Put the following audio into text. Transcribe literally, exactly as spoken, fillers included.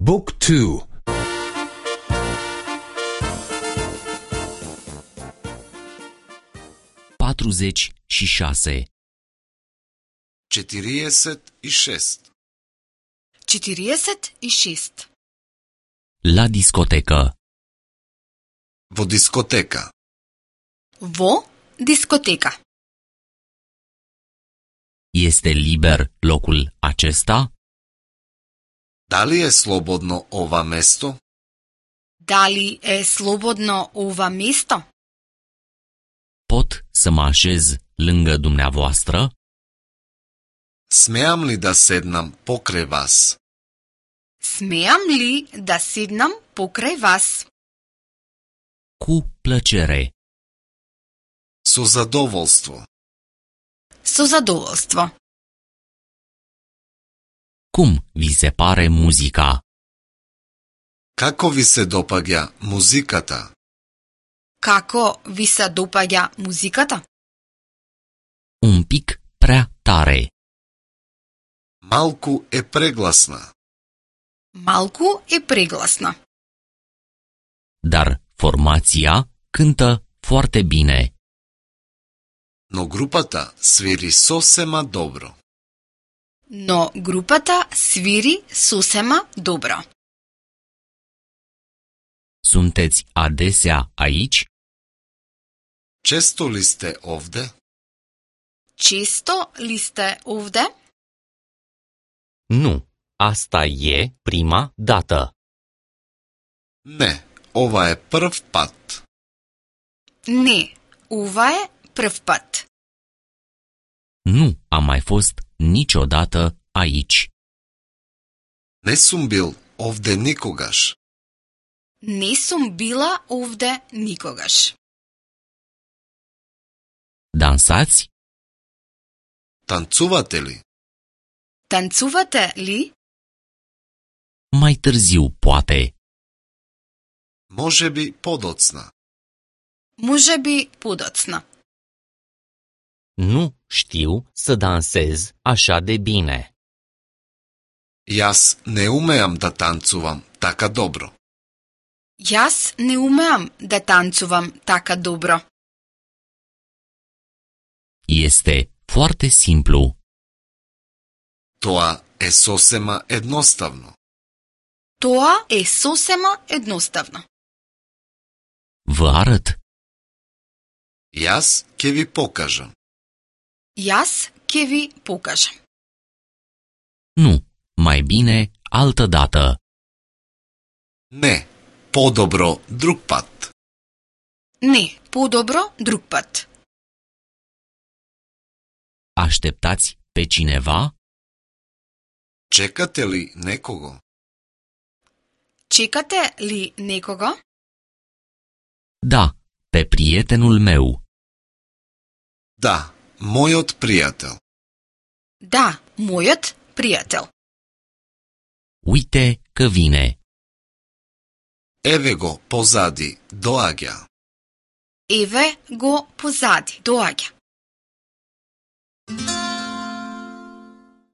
Book two. patruzeci și șase. четириесет и шест. четириесет и шест. La discotecă. Во дискотека. Во дискотека. Este liber locul acesta? Дали е слободно ова место? Дали е слободно ова место? Pot să mă așez lângă dumneavoastră? Смеам ли да седнам покрај вас? Смеам ли да седнам покрај вас? Cu plăcere. Со задоволство. Со задоволство. Cum vi se pare muzica? Како ви се допаѓа музиката? Како ви се допаѓа музиката? Un pic prea tare. Малку е прегласна. Малку е прегласна. Dar formația cântă foarte bine. Но групата свири сосема добро. Но групата свири сосема добро. Sunteți adesea aici? Често ли сте овде? Често ли сте овде? Nu, asta e prima dată. Не, ова е прв пат. Не, ова е прв пат. Nu am mai fost niciodată aici. Не сум бил овде никогаш. Не сум била овде никогаш. Dansați? Танцувате ли? Танцувате ли? Mai târziu, poate. Може би подоцна. Може би подоцна. Nu știu să dansez așa de bine. Јас не умеам да танцувам така добро. Јас не умеам да танцувам така добро. Este foarte simplu. Тоа е сосема едноставно. Тоа е сосема едноставно. Vă arăt. Јас ќе ви покажам. Јас ќе ви покажам. Nu, mai bine altă dată. Не, подобро друг пат. Не, подобро друг пат. Așteptați pe cineva? Чекате ли некого? Чекате ли некого? Da, pe prietenul meu. Да, мојот пријател. Да, мојот пријател. Uite că vine. Еве го позади, доаѓа. Еве го позади, доаѓа.